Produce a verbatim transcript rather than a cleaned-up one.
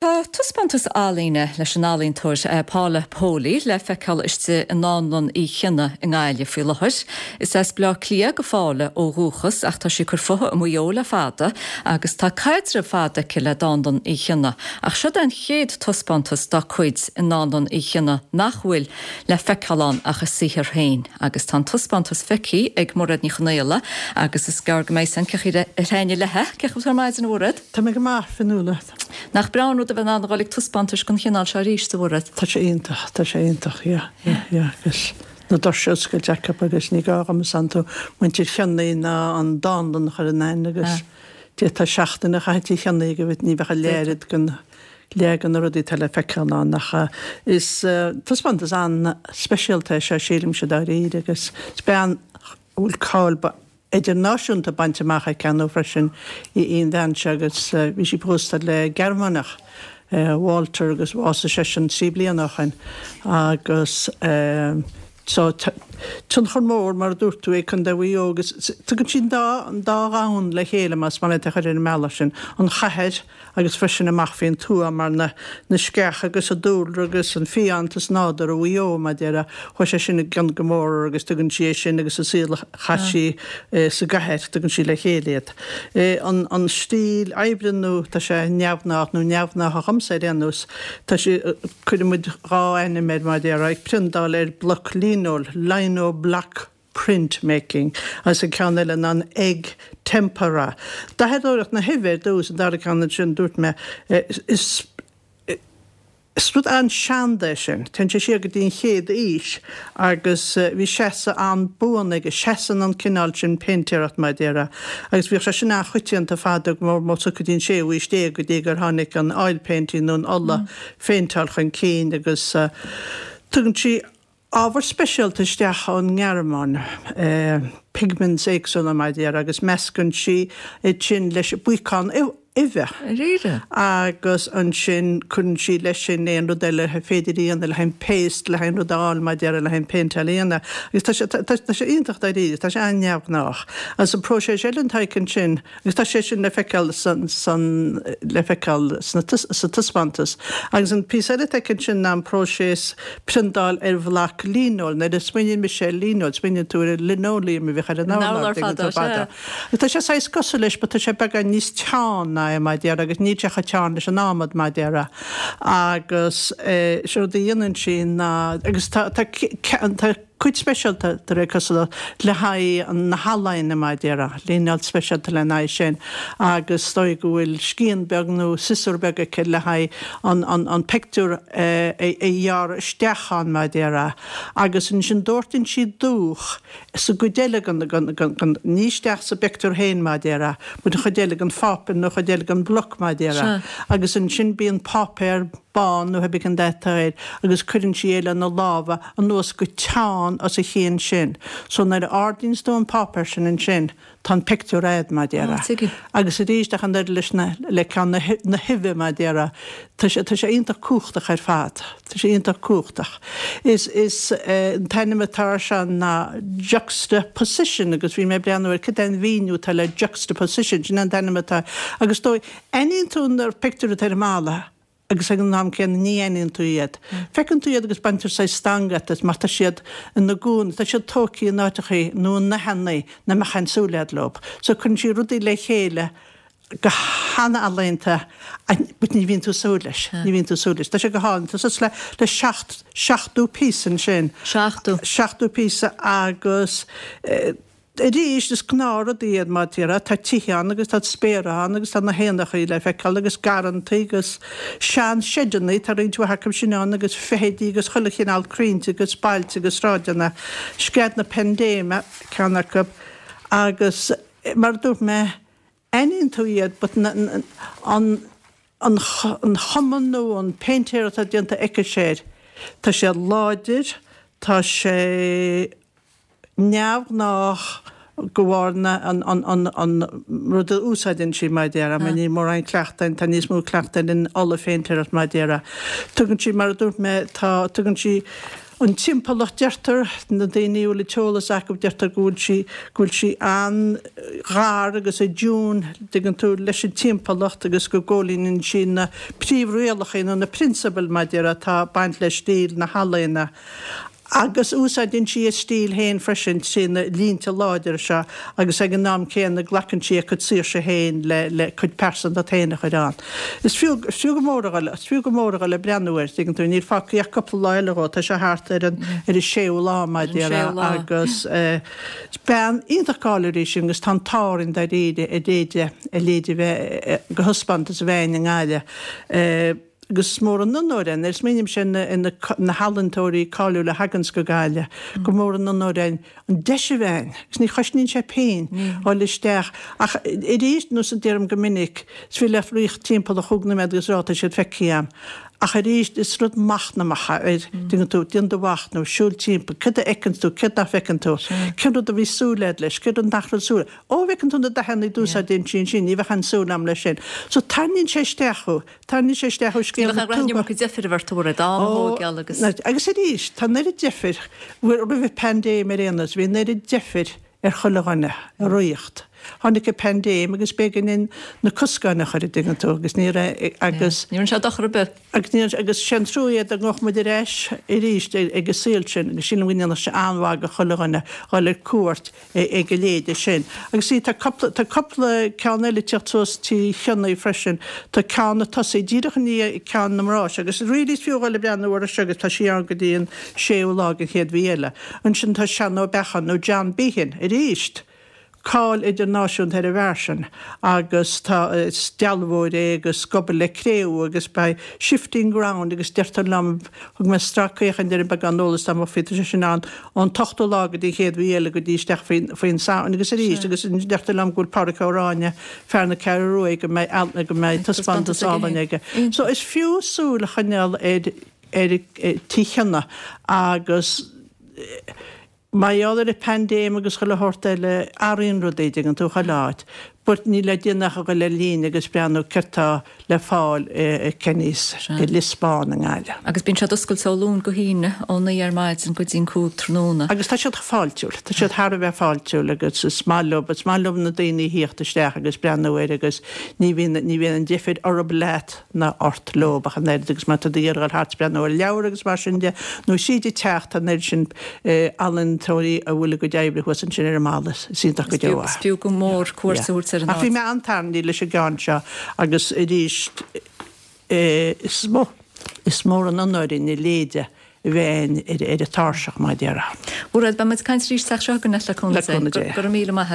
Tá taispeántas ealaíne leis an ealaíontóir eh, Paula Poley le feiceáil istigh i nDánlann Uí Chionnaith i nGaillimh faoi láthair. Is as Bleá Cliath do Phaula ó dhúchas ach tá sí ag cur fúithi i Maigh Eo le fada agus tá caidreamh fada aici le Dánlann Uí Chionnaith. Ach seo an chéad taispeántas dá cuid i nDánlann Uí Chionnaith nach bhfuil le feiceáil ann ach a saothar féin, agus tá an taispeántas feicthe ag Mairéad Ní Chonaola agus is gearr go mbeidh san ceir réine lethe ce tar maidin bhúrad? Tá mé go maith Fionnuala. Nach breá rud a bheith ag dul ag taispeántais den chineál seo arís a Mhairéad. Tá sé iontach tá sé iontach agus na doirse oscailte acu agus ní gá dom tú muintir Chionnaith ná an dánlann chur in aithne agus tá seachtain a chaithfidh Chionnaith go ní bheadh a léiriid gan le gan na rudaí le feiceáil ann ach is taispeántas an-speisialta sé sílimse dáiríre agus is bean bhfuil cáil idirnáisiúnta bainte amach aici nó freisin í an bhean seo agus bhí sí pósta le Gearmánach. Walter agus bhásaigh seisean trí bliana ó shin agus so tionchar mór mar a dúirt tú é Contae Mhaigh Eo agus tugann sin dá an dá dhomhan le chéile más maith leat a chur ar an mbealach sin an chathair agus freisin amach faoin tuath mar na na sceach agus an dúlra agus an fiántas nádúr Mhaigh Eo mar déarfá chuaigh sé sin i gcion go mór agus tugann sí é sin agus an saol a chaith sí sa gcathair tugann sí le chéile iad. An an stíl oibre nó tá sé neamhghnách nó neamhghnách dhomsa ar aon nós tá sé cuireann muid dhá ainm air mar déarfá ag priontáil ar bloc líneol lino block printmaking agus an ceann eile ná an egg tempera. Dathadóireacht na huibhe ar dtús an dara ceann sin dúirt mé is Is rud an-seanda é sin, téann sé siar go dtí an chéad aois agus bhí seasamh an-buan aige, seasann an cineál sin péintéireacht mar a déarfá agus bhíodh sé sin an-choitianta fada go mór mór go dtí an séú haois déag go dtí gur tháinig an oil painting nó an ola phéinteáil chun cinn agus tugann sí ábhar speisialta isteach ón nGearmáin, pigments éagsúla mar a déarfá agus meascann sí iad sin leis buíocán uibhe. Dáiríre. Agus ansin cuireann sí leis sin aon rud eile féidir a dhéanamh le haghaidh paste le haghaidh rud a fháil mar a déarfá le haghaidh péinteáil a dhéanamh. Agus tá sé tá sé iontach dáiríre, tá sé an-neamhghnách. Agus an próiseas eile atá aici ansin, agus tá sé sin le feiceáil san san le feiceáil sna sa taispeántas. Agus an píosa eile atá aici ansin ná an próiseas priontáil ar bhloc líneoil. Nuair a smaoiníonn mise ar líneoil, smaoiníonn tú ar linoleum a bhíodh ar an urlár ag an fada. Tá sé saghas cosúil leis, but tá sé beagán níos teann ná é mar a déarfá agus níl sé chomh teann leis an adhmad mar a déarfá. Agus sé rud a dhéanann sí ná agus tá tá tá cuid speisialta de réir cosúlacht le haghaidh na healaíne mar a déarfá, líneáil speisialta lena aghaidh sin agus is dóigh go bhfuil scian beag nó siosúr beag aici le haghaidh an an an pictiúr a a ghearradh isteach ann mar a déarfá. Agus ansin doirteann sí dúch sa gcuid eile den den den ní isteach sa bpictiúr féin mar a déarfá, but an chuid eile den pháipéar nó an chuid eile den bhloc mar a déarfá. Agus ansin bíonn páipéar bán nó pé cén dath atá air agus cuireann sí é lena lámha anuas go teann os a chionn sin. So nuair a ardaíonns tú an páipéar sin ansin tá an pictiúr a'd mar a déarfá. Agus arís ach an oiread leis na le ceann na na huibhe mar a déarfá tá sé tá sé iontach cumhachtach ar fad. Tá sé iontach cumhachtach. Is is an t-ainm atá air seo ná juxtaposition agus bhí mé ag breathnú ar cad é an mhíniú atá le juxtaposition sin an t-ainm atá agus dóigh aithníonn tú na pictiúir atá ar an mballa agus ag an am céanna ní aithníonn tú iad. Feiceann tú iad agus baintear saghas stangadh as mar tá siad ina gcónaí, tá siad tógtha in áiteachaí nó i ndathannaí nach mbeadh aon súil a'd leo. So cuireann sí rudaí le chéile go han-ealaíonta but ní bhíonn tú súil leis, ní bhíonn tú súil leis. Tá sé go hálainn, tá suas le le seacht seachtó píosa ansin. Seachtó. Seachtó píosa agus arís is gnáthrudaí iad mar a déarfá, tá tithe ann agus tá spéartha ann agus tá na héanachaí le feiceáil agus garrantaí agus sean-seideannaí, tá roinnt mhaith acu sin ann agus feithidí agus chuile chineál crainnte agus bailte agus sráideanna. Scread na Paindéime ceann acu agus mar a dúirt mé, aithníonn tú iad but na, an, an, an chuma nó an péintéireacht atá déanta aici air, tá sé láidir, tá sé neamhghnách go bharr na an an an an rud a úsáideann sí mar a déarfá, mar níl mórán cleachtadh, tá níos mó cleachtadh in ola phéintéireacht mar a déarfá. Tugann sí, mar a dúirt mé, tá, tugann sí An timpeallacht deirtear, na daoine a bhfuil an t-eolas acu, deirtear go bhfuil sí, go bhfuil sí an-ghar agus i dtiún, dtuigeann tú, leis an timpeallacht agus go gcomhlíonann sí na príomhrialacha nó na prionsabail maidir atá ag baint le stíl na healaíona. Agus úsáideann sí a stíl féin freisin trí na línte láidre seo agus ag an am céanna glacann sí a cuid saoirse féin le le cuid pearsantacht féin a chur ann. Is fiú is fiú go mór a dhul is fiú go mór a dhul ag breathnú air, tuigeann tú, níl fágtha ach cúpla lá eile dhó, tá sé thart ar an ar an séú lá mar a déarfá agus is bean iontach cáiliúil í sin agus tá an t-ádh orainn dáiríre a leithéid a leithéid a bheith de thaispeántas a bheith againn i nGaillimh. Agus is mór an onóir é, nuair a smaoinímse ar na healaíontóirí cáiliúla a thaganns go Gaillimh, gur mór an onóir é an deis a bheith againn, agus ní chosnaíonn sé pingin dhul isteach. Ach arís, nós a deirim go minic, is féidir leat rith timpeall ar chúig nóiméad agus rá tá siad feicthe agam. Ach arís, is rud machnamhach é, tuigeann tú, déan do mhachnamh, siúl timpeall, céard a fheiceanns tú, céard nach bhfeiceann tú, cén rud a bhí súil agat leis, cén rud nach raibh súil. Ó, bhfeiceann tú na dathanna a d'úsáideann sí ansin, ní bheadh aon súil agam leis sin. So tarraingíonn sé isteach thú. Tarraingíonn sé isteach thú scéal na tuaithe. Ní bheadh deifir ort tabhair am a thógáil agus. Agus arís, tá an oiread deifir, roimh an bpaindéim ar aon nós, bhí an oiread deifir ar chuile dhuine i ríocht. Tháinig an paindéim agus b'éigean dúinn na coscáin a chur, an dtuigeann tú, agus ní raibh, agus. Ní rinne sé dochar ar bith. Agus ní, agus sé an trua é dá ngabhfadh muid ar ais arís ag an saol sin, agus sílim go ndéanfadh sé an-mhaith do chuile dhuine dhul ar cuairt ag a leithéide sin. Agus see, tá cúpla, tá cúpla ceann eile ag teacht suas Tigh Chionnaith freisin. Tá ceann ag tosaí díreach i ndiaidh ceann na mná seo, agus really is fiú dhul ag breathnú orthu seo agus tá sí ann go dtí an séú lá den chéad mhí eile. Ansin tá Seán Ó Beacháin, nó John Behan, arís. Cáil idirnáisiúnta ar an bhfear sin agus tá, is dealbhóir é agus ag obair le cré-umha agus beidh Shifting Ground agus deirtear liom, thug mé stracfhéachaint ar an beagán eolas atá amuigh faoi, tá sé sin ann ón t-ochtú lá go dtí an chéad mhí eile go dtí isteach faoin, faoin Samhain agus arís agus deirtear liom go bhfuil Pádraic Ó Ráinne, fear na Ceathrú Rua, go mbeidh, go mbeidh taispeántas álainn aige. So is fiú súil a choinneáil ar, ar Tigh Chionnaith agus. Mar gheall ar an bpaindéim agus chuile shórt eile, athraíonn rudaí, dtuigeann tú, chuile áit. But níl le déanamh ach a dhul ar líne agus breathnú céard tá le fáil i Kenny's i Lios Bán i nGaillimh. Agus bíonn siad oscailte ó Luan go hAoine, ó naoi ar maidin go dtí'n cúig tráthnóna. Agus tá siad fáiltiúil, tá siad thar a bheith fáiltiúil agus is maith leo, is maith leo na daoine a thíocht isteach agus breathnú air agus ní bhíonn, ní bhíonn an deifir orthu leat. ná ort leo ach an oiread agus má tá tú ag iarraidh a dhul thart is breathnú ar leabhair agus mar sin de, nó tríd an teach, tá an oiread sin ealaíontóirí a bhfuil a gcuid oibre thuas ansin ar an mballa, is iontach go deo é. Is fiú go mór cuairt a thabhairt ar an áit. Ach bhí mé an-tarraingthe leis an gceann seo agus arís is mó, is mór an onóir dúinn a leithéide a bheith ar an tairseach, mar a déarfá. Mairéad, beidh muid ag caint arís an tseachtain seo chugainn le cúnamh Dé. Go raibh míle maith agat.